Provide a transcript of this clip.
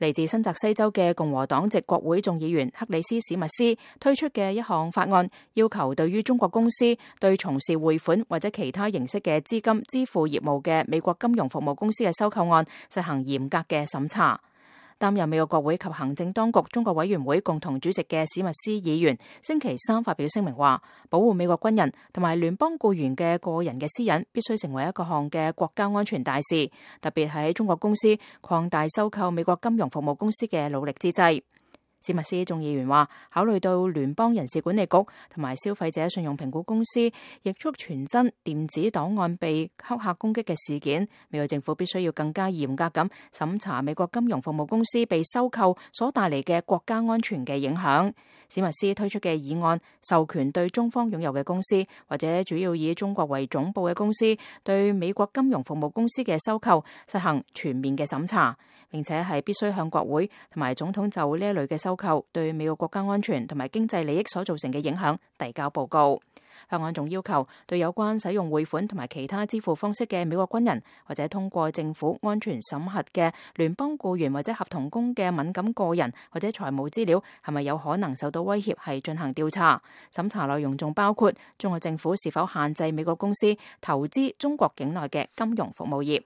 嚟自新澤西州嘅共和黨籍國會眾議員克里斯史密斯推出嘅一項法案，要求對於中國公司對從事匯款或者其他形式嘅資金支付業務嘅美國金融服務公司嘅收購案實行嚴格嘅審查。擔任美國國會及行政當局中國委員會共同主席嘅史密斯議員星期三發表聲明話，保護美國軍人同埋聯邦僱員嘅個人嘅私隱必須成為一個項嘅國家安全大事，特別喺中國公司擴大收購美國金融服務公司嘅努力之際。史密斯眾議員話，考慮到聯邦人事管理局同埋消費者信用評估公司易速傳真電子檔案被黑客攻擊嘅事件，美國政府必須要更加嚴格咁審查美國金融服務公司被收購所帶嚟嘅國家安全嘅影響。史密斯推出嘅議案授權對中方擁有嘅公司或者主要以中國為總部嘅公司對美國金融服務公司嘅收購實行全面嘅審查，並且係必須向國會同埋總統就呢一類嘅收購對美國國家安全同埋經濟利益所造成嘅影響遞交報告。法案仲要求對有關使用匯款同埋其他支付方式嘅美國軍人或者通過政府安全審核嘅聯邦僱員或者合同工嘅敏感個人或者財務資料係咪有可能受到威脅，係進行調查。審查內容仲包括中國政府是否限制美國公司投資中國境內嘅金融服務業。